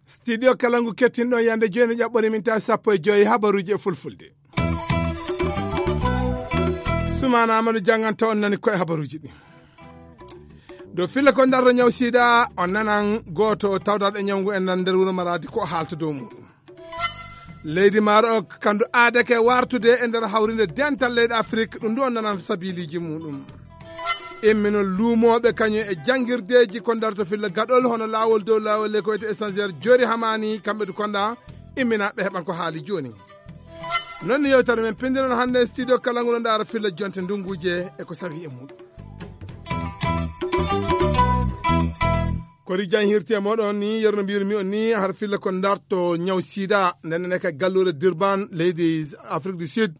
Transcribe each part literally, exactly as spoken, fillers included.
Studio Kalangu kettinɗo yande jooni, ƴaɓɓori min tawi sappo e joyi habaruji e fulfulde. Sumana Amadou janganta on nani koye habaruji ɗi. Dow filla ko ndarɗo ñaw sida, on nanan gooto tawdaɗo e ñaw ngu en nan nder wuro Maradi ko o haalta dow muɗum. Leydi Maroc kandu aadake wartude e nder hawrinde dental leyɗe Afrik, ɗum ɗo nanan sabiliji muɗum. Immino luumooɓe kañum e janngirdeeji ko ndarto filla gaɗol hono laawol dow laawol le ko wiyete essentiel jori hamani kamɓe du konda immina ɓe heɓan ko haali jooni. Non ni yewtere men pindiron hannde studio kala ngol ndaara filla jonte ndunguuje e ko sawi e muɗum. Kori jan hirti e moɗon ni yerno mbirmi on ni har filla ko ndarto ñaw sida nden ne ka gallure Durban leydi Afrique du Sud.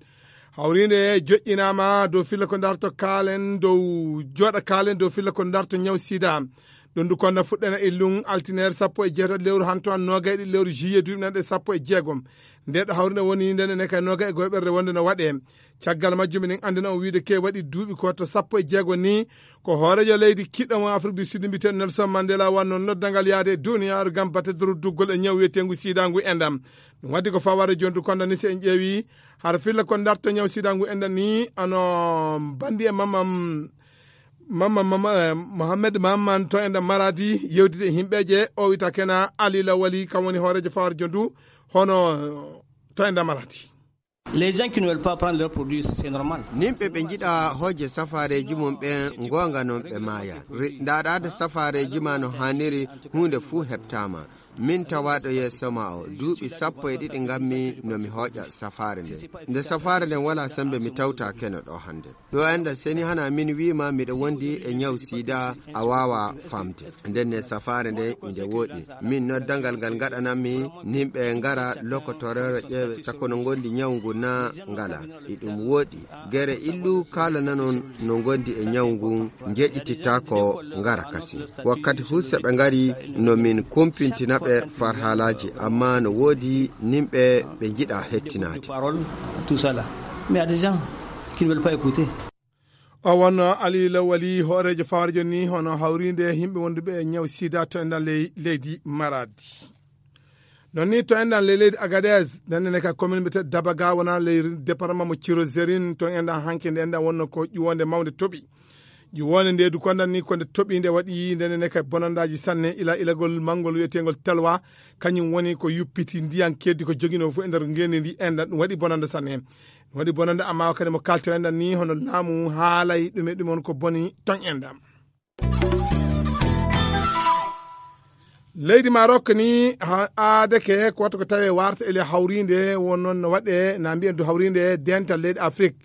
Hawrinde joƴƴinama dow filla ko ndarto kaalen dow joɗa kaalen dow filla ko ndarto ñaw sida. Ɗum du konna fuɗɗena illum altineer sappo e jeetati lewru hanto an nogay ɗi lewru juillet duuɓi nanɗe sappo e jeegom. Nde ɗo hawrinde woni nden ne ka nogay e goyɓerde wonde no waɗe. Caggal majjum minen anndina on wiide ke waɗi duuɓi ko to sappo e jeego ni. Ko hoorejo leydi kiɗɗo mo Afrique du Sud mbiten Nelson Mandela wanno noddangal yaade e duniyaaru ngam bate doruddugol e ñaw wiyetengu sidangu e ndam. Ɗum waddi ko faware jondu konda ni si en ƴeewi har filla ko ndarto ñaw sidangu e ndam ni ano bandi e mamam mamma mamma eh, mohammed mamman to e ndam maradi yewtide e himɓeje o wita kena ali lawali kam woni hoorejo faware jondu hono to e ndam maradi. Les gens qui ne veulent pas prendre leurs produits, c'est normal. Nimɓe ɓe njiɗa hooje safareeji mum ɓen, ngoonga non ɓe maaya. Ri-, ndaɗaade safareeji ma no haaniri, huunde fuu heɓtaama. Min tawaaɗo yeeso ma o, duuɓi sappo e ɗiɗi ngammi no mi hooƴa safaare nden. Nde safaare nden walaa sembe mi tawta keno ɗo hannde. Ɗo enda seni hana min wiima miɗo wondi e ñaw sida a waawa famde. Nden ne safaare nde inde wooɗi. Min noddangal ngal ngaɗanammi nimɓe ngara lokotorere ƴeewe takko no ngondi ñaw ngu na ngala. E ɗum wooɗi. Gere illu kaalananon no ngondi e ñaw ngun njeƴititako ngara kasi. Wakkati hu seɓe ngari no min kumpintina ɓe far haalaaji amma no woodi nimɓe ɓe njiɗa hettinaade. Parole, tout ça là. Mais il y a des gens qui ne veulent pas écouter. O wonno Ali Lawali hooreejo fawarjo ni hono hawriinde yimɓe wonduɓe e ñaw sida to e nder ley- leydi Maradi. Non ni to enɗan ley leydi Agadez nannene ka commune mbiyete Dabaga wona ley département mo Ciro Zerin to enɗan hanke nde enɗan wonno ko ƴuwonde mawnde toɓi. Ƴuwonde nde du kondan ni ko nde toɓi nde waɗi nde nene ka bonandaji sanne ila ilagol mangol wiyetengol telwa. Kañum woni ko yuppiti ndiyan keddi ko jogino fof e nder ngendi ndi enɗan ɗum waɗi bonanda sanne. Ɗum waɗi bonanda amma kadi mo kalto enɗan ni hono laamu haalay ɗume ɗum on ko boni ton enɗan. Leydi Maroc ni ha- aadeke ko watta ko tawe warta ele hawrinde won noon no waɗe na mbiyen du hawrinde dental leydi Afrique.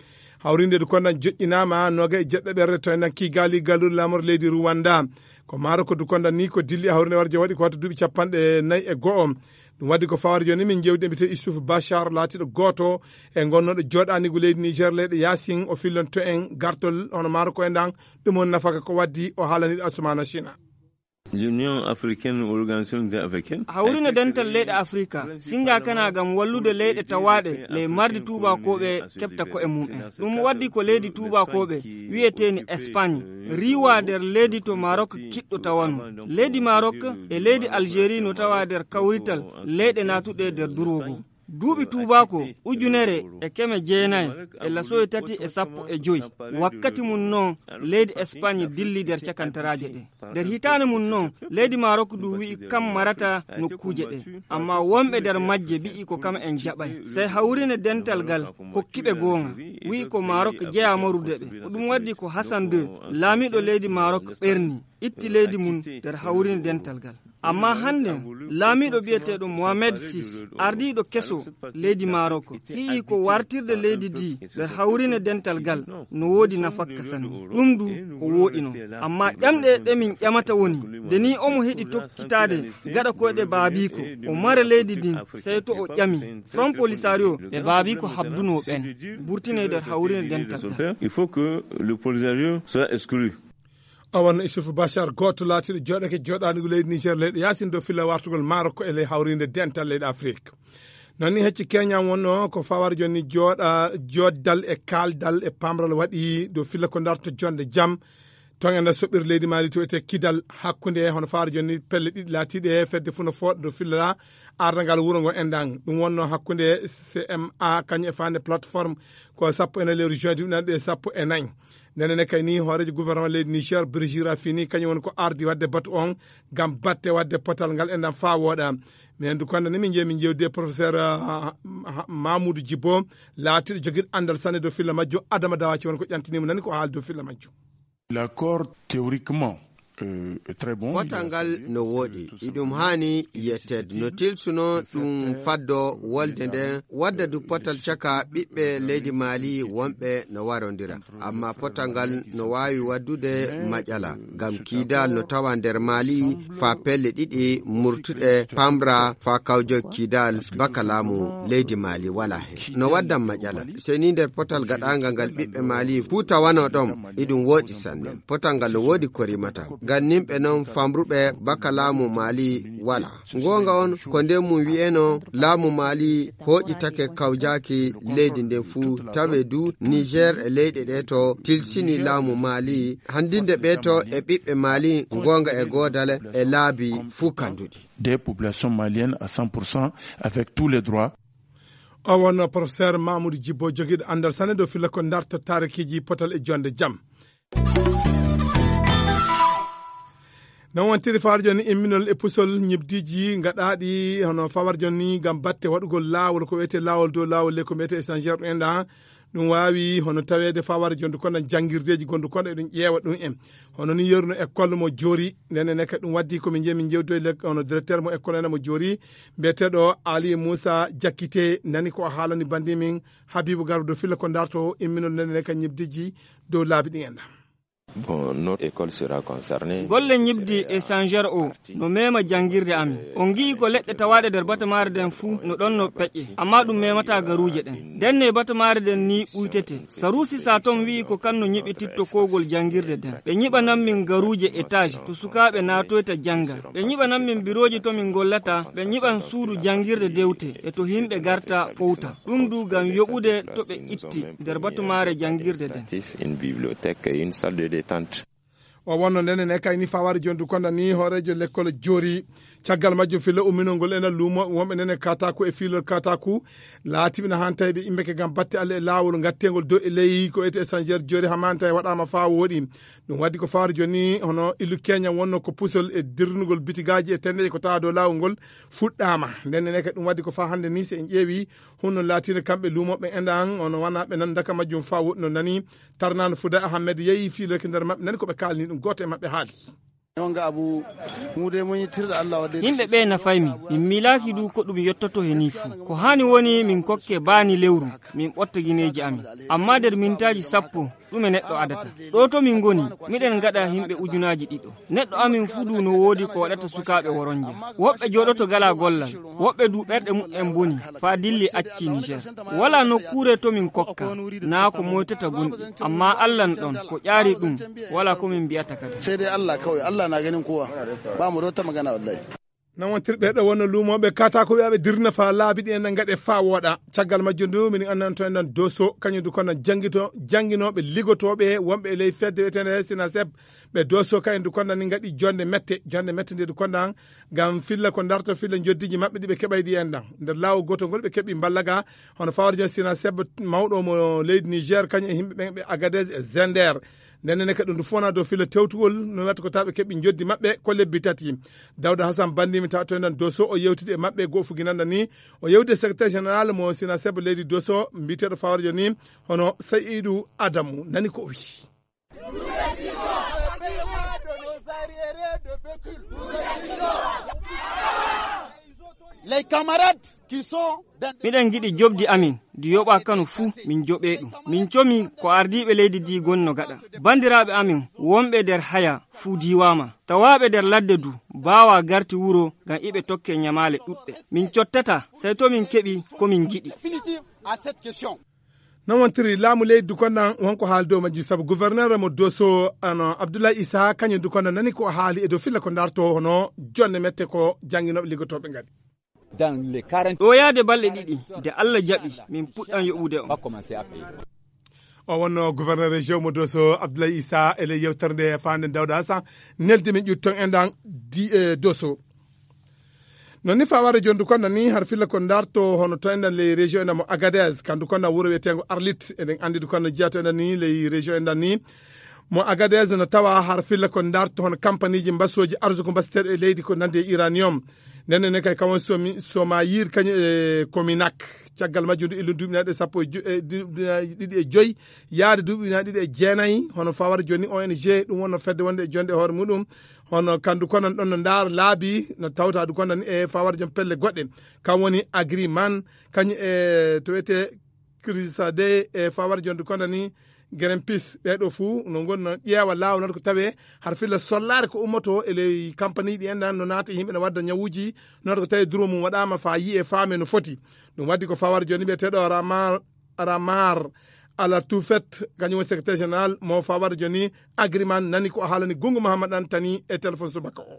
Hawrinde du kondan joƴƴinama noga e jeɗɗo ɓerre to enɗan kigali galluɗo lamor leydi Rwanda. Ko Maroc du kondan ni ko dilli hawrinde warjo waɗi ko watta duuɓi capanɗe nayi e go'o. Ɗum waddi ko fawar joni min jewdi mbite Issouf Bachar laatiɗo goto e gonnoɗo joɗanigu leydi Niger leyɗe yasin o fillonto en gartol hono Maroc e ndan. Ɗum on nafaka ko waddi o haalaniɗo Assoumana China. L'Union africaine ou l'organisation africaine hawrino dental leyɗe afrika singa kana gam wallude leyɗe tawaɗe ley mardi tubakoɓe keɓta ko'e mum'en. Ɗum waddi ko leydi tubakoɓe wiyeteeni Espagne riwa nder leydi to Marok kiɗɗo tawano. Leydi Marok e leydi Algérie no tawa nder kawrital leyɗe natuɗe nder durwogo. Duuɓi tuubaako ujunere e keme jeenayi e lasoye tati e sappo e joy. Wakkati mum noon leydi Espagne dilli nder cakantaraaje ɗe. Nder hitaande mum noon leydi Marok du wi'i kam marata nokkuuje ɗe. Amma wonɓe nder majje mbi'i ko kam en jaɓay. Sey hawrine dental ngal hokki ɓe goonga. Wi'i ko Marok jeyaa marude ɓe. Ko ɗum waddi ko Hassan deux, laamiiɗo leydi Marok ɓerni, itti leydi mum nder hawrine dental ngal. Amma hannde laamiiɗo biyeteeɗo Mohamed sis, ardiiɗo keso leydi Marok, hi'i ko wartirde leydi ndi nder hawrine dental ngal no woodi nafakka sanne. Ɗum du ko wooɗi non. Amma ƴamɗe ɗe min ƴamata woni, nde ni omo heɗi tokkitaade gaɗa koyɗe baabiiko, o mara leydi ndin, sey to o ƴami Front Polisario e baabiiko habduno ɓen, burtine nder hawrine dental ngal. Il faut que le Polisario soit exclu. O wonno Issouf Bachar, gooto laatiiɗo jooɗake jooɗaanigu leydi Niger, leyɗe yaasin dow filla wartugol Marok e ley hawriinde dental leyɗe Afrik. Noon ni hecci keñan wonno ko fawar jonni jooɗa, joddal e kaaldal e pamral waɗi dow filla ko darto jonde jam. Toon e nder soɓɓirde leydi Mali to wiyetee Kidal, hakkunde hono fawar jonni pelle ɗiɗi laatiiɗe fedde fuu no fooɗa dow filla ardangal wuro ngo enɗan. Ɗum wonno hakkunde C M A kañum e faande plateforme ko sappo e nayi lewru juin ɗiɗi sappo e nayi. Ndeen ne kay ni hooreejo gouvernement leydi Niger, Brigitte Rafini, kañum woni ko ardi waɗde batu on ngam batte waɗde potal ngal enɗan faa wooɗa. Minen du konda ni min jeeyi min jewdi e professeur, ah, ah, Mamoudou Djibo, laatiiɗo jogiiɗo anndal sanne dow filla majjum. Adama Dawaci woni ko ƴantini mo, nani ko haali dow filla majjum. L'accord théoriquement, euh, est très bon. Potal ngal no wooɗi, iɗum haani yetteede. No tilsuno ɗum faddo wolde nden, wadda du potal caka ɓiɓɓe leydi Mali wonɓe no warondira. Amma potal ngal no waawi waddude maƴala, ngam Kidal no tawa nder Mali faa pelle ɗiɗi murtuɗe, Pamra faa kawjo Kidal baka laamu leydi Mali wala hen. No waddan maƴala, sey ni nder potal gaɗaangal ngal ɓiɓɓe Mali fuu tawano ɗon, iɗum wooɗi sanne. Potal ngal no woodi ko rimata. Ngam nimɓe non famruɓe baka laamu Mali wala. Ngoonga on, ko nden mum wi'eno laamu Mali hooƴitake kawjaaki leydi nden fuu, tawe du Niger e leyɗe ɗe to tilsini laamu Mali, handinde ɓe to e ɓiɓɓe Mali, ngoonga e goodale e laabi fuu kanduɗi. Des populations maliennes à cent pour cent avec tous les droits. O wonno professeur Mamoudou Djibo, jogiiɗo anndal sanne dow filla ko darto taarikiiji potal e jonde jam. Non wontiri fawar jonni imminol e pusol ñibdiiji gaɗaaɗi hono fawar jonni ngam batte waɗugol laawol ko wiyetee laawol dow laawol le ko wiyetee échangeur ɗum enɗan. Ɗum waawi hono taweede fawar jonndu kono janngirdeeji gondu kono eɗum ƴeewa ɗum en. Hono ni yeruno école mo joori, nden ne kadi ɗum waddi ko min jeeyi min jewtoy le hono directeur mo école ene mo joori, mbiyeteeɗo Ali Moussa Diakité, nani ko o haalani bandi min Habibou Garba dow filla ko darto imminol nden ne kadi ñibdiiji dow laabi ɗi enɗan. Bon, notre école sera concernée. Golle ñibdi e changeur o no mema janngirde amin. On ngi'i ko leɗɗe tawaaɗe nder batamaare nden fuu no ɗon no peƴƴe, amma ɗum memata garuuje ɗen. Nden ne batamaare nden ni ɓuytete. Sarusi sa ton wi'i ko kan no ñiɓititto kowgol janngirde nden. Ɓe ñiɓanan min garuuje étage to sukaaɓe naatoyta jannga. Ɓe ñiɓanan min birooji to min ngollata, ɓe ñiɓan suudu janngirde dewte e to himɓe garta powta. Ɗum du ngam yoɓude to ɓe itti nder batumaare janngirde nden. Une bibliothèque et une salle de détente. O wonno nden ne kayni fawari jondu konda ni hooreejo lekkol joori. Caggal majjum filla umminol ngol ena luumo wonɓe nden e kataku e fiilol kataku. Laatiɓe na hantay ɓe immeke ngam batte Allah e laawol ngatteengol dow e ley ko ete échangeur joori hamanta e waɗaama faa wooɗi. Ɗum waddi ko fawari joni hono illu keña wonno ko pusol e dirnugol bitigaaji e tendeje ko tawa dow laawol ngol fuɗɗaama. Nden ne kadi ɗum waddi ko faa hannde ni so en ƴeewi hunno laatino kamɓe luumoɓe enɗan ono wana ɓe nan daka majjum faa woɗɗi no nani. Tarnano Fuda Ahmed yeeyi fiiloyke nder maɓɓe nani ko ɓe kaalni ɗum gooto e maɓɓe haali. Wonga abu mude mo yittirɗo Allah wadde. Yimɓe ɓe nafay min, min miilaaki du ko ɗum yottoto he nii fuu. Ko haani woni min kokke baani lewru, min ɓotta gineeji amin. Amma nder mintaaji sappo, ɗume neɗɗo adata? Ɗo to min ngoni, miɗen ngaɗa yimɓe ujunaaji ɗiɗo. Neɗɗo amin fuu du no woodi ko waɗata sukaaɓe woronje. Woɓɓe jooɗoto gala gollal, woɓɓe du ɓerɗe muɓɓen boni, faa dilli acci Niger. Wala nokkuure to min kokka, naa ko moytata gonɗi. Amma Allah n ɗon, ko ƴaari ɗum, wala ko min mbi'ata kadi. Sai dai Allah kawai, Allah na ganin kowa. Ba mu da wata magana wallahi. Nan wontirɓe ɗo wonno luumooɓe kata ko wi'aɓe dirna faa laabi ɗi en ngaɗe faa wooɗa. Caggal majjum du, min annanto en ɗon Doso, kañum du kono janngito, jannginooɓe, ligotooɓe, wonɓe e ley fedde wi'eteende Sinaseb. Ɓe Doso kañum du kono ni ngaɗi jonde mette, jonde mette nde du kono ngam filla ko darto filla njoddiiji maɓɓe ɗi ɓe keɓay ɗi en ɗan. Nder laawol gootol ngol ɓe keɓi mballaga, hono fawar jon Sinaseb mawɗo mo leydi Niger, kañum e yimɓe ɓen ɓe Agadez e Zender. Nden ne kadi ɗum fona dow filla tewtugol, no watta ko tawa ɓe keɓi njoddi maɓɓe ko lebbi tati. Dawda Hassan Bandi mi tawa to en ɗon Doso, o yewtidi e maɓɓe goo fuginanda ni. O yewti e secrétaire général mo Sinaseb leydi Doso, mbiyeteeɗo fawar jon ni, hono Sayidu Adamu, nani ko o wi'i. Les camarades qui sont dans... Miɗen ngiɗi joɓdi amin, ndi yoɓa kano fuu, min joɓe ɗum. Min comi ko ardiiɓe leydi ndi gonno gaɗa. Bandiraaɓe amin wonɓe nder haya fuu diiwaama. Tawaaɓe nder ladde du, baawa garti wuro ngam iɓe tokke ñamaale ɗuɗɗe. Min cottata, sey to min keɓi ko min ngiɗi. Non wontiri laamu leydi du konnan wonko haali dow majjum, sabu gouverneur mo Doso, ano Abdoulaye Issa, kañum du konnan nani ko haali e dow filla ko darto hono jonde mette ko jannginooɓe liggotooɓe ngaɗi. Ɗo yaade balɗe ɗiɗi, nde Allah jaɓi, min puɗɗan yoɓude on. O wonno gouverneur région mo Doso, Abdoulaye Issa, e ley yewtere nde faande Dawda Asa, neldi min ƴutton enɗan di e Doso. Non ni faware jondu konda ni har filla ko darto hono to enɗan ley région enɗan mo Agadez, kandu konda wuro wiyetengo Arlit, eɗen andi du konda jiya to enɗan ni ley région enɗan ni mo Agadez no tawa har filla ko darto hono kampaniji mbasoji arsuko mbasiteɗo e leydi ko nandi e uranium. Nden ne kay kawon somi soma yir kañum e Kominak. Caggal majjum ndu illu duuɓi nayi ɗiɗi e sappo e jo- e duuɓi nayi ɗiɗi e joyi yaade duuɓi nayi ɗiɗi e jeenayi, hono fawar joni O N G ɗum wonno fedde wonde e jonde e hoore muɗum. Hono kandu konan ɗon no ndaar laabi no tawta du konan e fawar jom pelle goɗɗe, kam woni Agriman, kañum e to wiyete Crisade e fawar jom du konani Greenpeace. Ɓeeɗo fuu no ngon no ƴeewa laawol noon ko tawee har filla sollaare ko ummoto e ley kampaniji ɗi enɗan no naata e yimɓe no wadda ñawuji, noon ko tawi duro mum waɗaama faa yiye faame no foti. Ɗum waddi ko fawar joni ɓe teɗo Ramar Ramar Ala Tufet, kañum woni secrétaire général mo fawar joni Agriman, nani ko haalani Gungu Mahamad Antani e téléphone subaka o.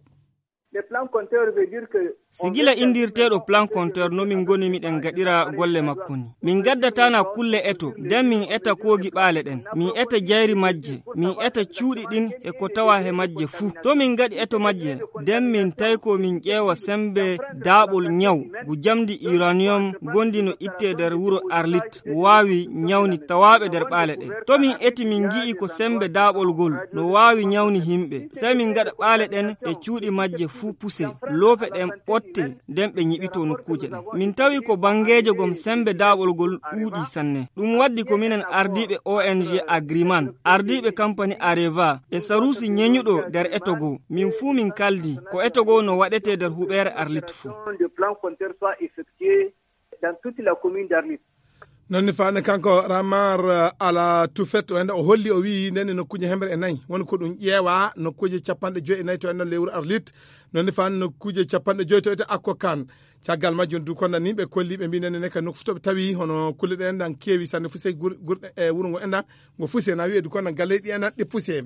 Sigila indirteeɗo plan compteur no min ngoni miɗen gaɗira golle makko ni. Min gaddatana kulle eto, nden min eta koogi ɓaale ɗen, min eta jayri majje, min eta cuuɗi ɗin e ko tawa he majje fuu. To min gaɗi eto majje, nden min tawi ko min ƴeewa sembe daaɓol ñaw, ngu jamdi uranium gondi no itte nder wuro Arlit, waawi ñawni tawaaɓe nder ɓaale ɗen. To min eti min ngi'i ko sembe daaɓol ngol no waawi ñawni himɓe, sey min gaɗa ɓaale ɗen e cuuɗi majje fuu puse, loope ɗen ɓotte, nden ɓe ñiɓito nokkuuje ɗen. Min tawi ko bangeejo gom sembe daaɓol ngol ɗuuɗi sanne. Ɗum waddi ko minen ardiiɓe O N G Agriman, ardiiɓe kampani Areva e saruusi ñeñuɗo nder eto goo. Min fuu min kaldi ko eto goo no waɗetee nder huɓeere Arlit fuu. Non ni faane kanko Ramar, eh, Ala Tufet, o enda o holli, o wi'i nden e nokkuuje hemre e nayi woni ko ɗum ƴeewa, nokkuuje capanɗe joyi e nayi to enɗan lewru Arlit, non ni faane nokkuuje capanɗe joyi to ete Akko Kan. Caggal majjum du konda ni ɓe kolli ɓe mbi nden ne ka nokku fof to ɓe tawi hono kulle ɗen enɗan keewi sanne fuse gur- gurɗe e wuro ngo enɗan ngo fuse na wi'e du konda galleji ɗi enɗan ɗi puse.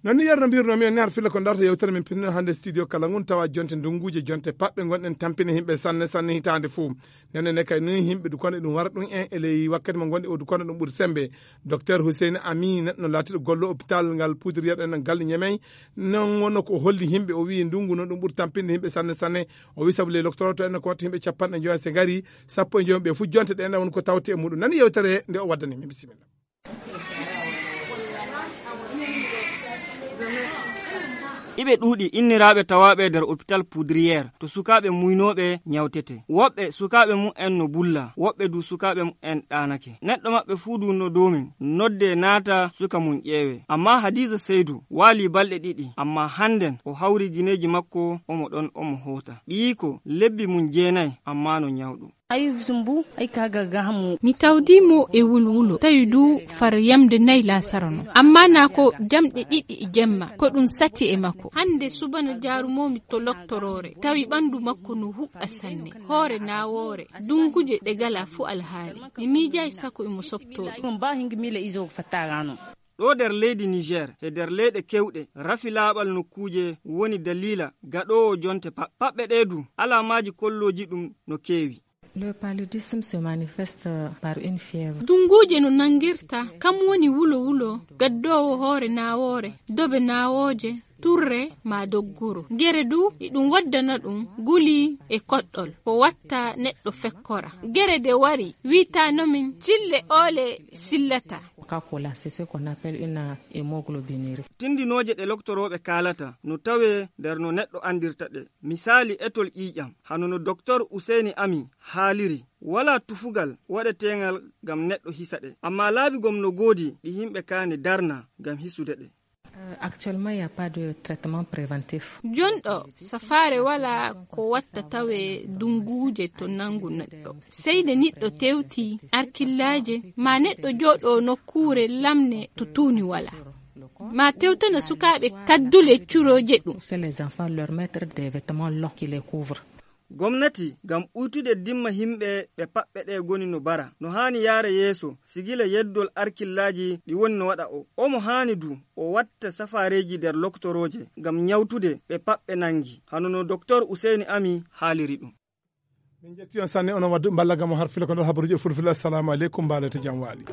Non ni yerno mbirno mi on ni har filla ko darto yewtere min pinno hannde studio kala ngun tawa jonte ndunguuje jonte paɓɓe gonɗen tampine yimɓe sanne sanne hitaande fuu. Nene ne kay ni yimɓe du kono ɗum wara ɗum en e ley wakkati mo gonɗi o du kono ɗum ɓuri sembe. Docteur Hussein Ami neɗɗo laatiɗo gollo hôpital ngal poudrière en ngal Ñemey, non wonno ko holli yimɓe, o wi'i ndungu noon ɗum ɓuri tampinde yimɓe sanne sanne. O wi'i sabu ley loktoroto en ko watta yimɓe capanɗe njoya se ngari sappo e njoya ɓe fuu jonte ɗe en woni ko tawte e muɗum. Nani yewtere nde o waddani min, bisimilla. Iɓe ɗuuɗi inniraaɓe tawaaɓe nder hôpital Poudrière to sukaaɓe muynooɓe ñawtete. Woɓɓe sukaaɓe mum en no bulla, woɓɓe du sukaaɓe mum en ɗaanake. Neɗɗo maɓɓe fuu du no doomin, nodde naata suka mum ƴeewe. Ammaa Hadiza Seydu waali balɗe ɗiɗi, ammaa hannden o hawri gineeji makko, omo ɗon omo hoota. Ɓiyiiko lebbi mum jeenay, ammaa no ñawɗo. Ay zumbu, ay ka ga gahamu. Mi tawdi mo e wulwulo, tawi du far yamde nay laasara no. Amma na ko jamɗe ɗiɗi e jemma, ko ɗum sati e makko. Hande subana jaarumomi to loktoroore, tawi ɓandu makko no huɓɓa sanne, hoore nawoore, dunguje ɗe gala fu alhaali. Mi miijay sako imo sopto ɗum. Ɗum ba hingi mila izo fattagano. Ɗo nder leydi Niger e nder leyɗe kewɗe, rafi laaɓal nokkuuje woni daliila gaɗoowo jonte paɓ-, paɓɓe ɗe du, alaamaaji kollooji ɗum no keewi. Le paludisme se manifeste par une fièvre. Dunguuje no nangirta, kam woni wulo wulo, gaddoowo hoore nawoore, dobe nawooje, turre ma doggoro. Gere du, iɗum waddana ɗum guli e koɗɗol, ko watta neɗɗo fekkora. Gere de wari, wi'ata no min cille oole sillata. Coca-Cola, c'est ce qu'on appelle une hémoglobinurie. Tindinooje ɗe loktorooɓe kaalata no tawee nder no neɗɗo anndirta ɗe. Misaali etol ƴiiƴam, hano no Doktor Useyni Ami haaliri, walaa tufugal waɗeteengal ngam neɗɗo hisa ɗe. Ammaa laabi gom no goodi ɗi yimɓe kaani darna ngam hisude ɗe. Euh, actuellement, il n'y a pas de traitement préventif. Jonɗo, safaare wala ko watta tawe dunguuje to nangu neɗɗo. Seyde niɗɗo tewti arkillaaje, ma neɗɗo jooɗo nokkuure lamne to tuuni wala. Ma tewtana sukaaɓe kaddule curooje ɗum. Que les enfants leur mettre des vêtements longs qui les couvrent. Gomnati, ngam ɓuytude dimma yimɓe ɓe paɓɓe ɗe goni no bara, no haani yaara yeeso, sigila yeddol arkillaaji ɗi woni no waɗa o. Omo haani du o watta safaareeji nder loktorooje ngam ñawtude ɓe paɓɓe nangi, hano no Doktor Useyni Ami haaliri ɗum. Min jetti on sanne, onon wadduɓe mballagam o har fila ko nder habaruji e fulfila. Assalamu aleykum, mbaɗa to jam waali.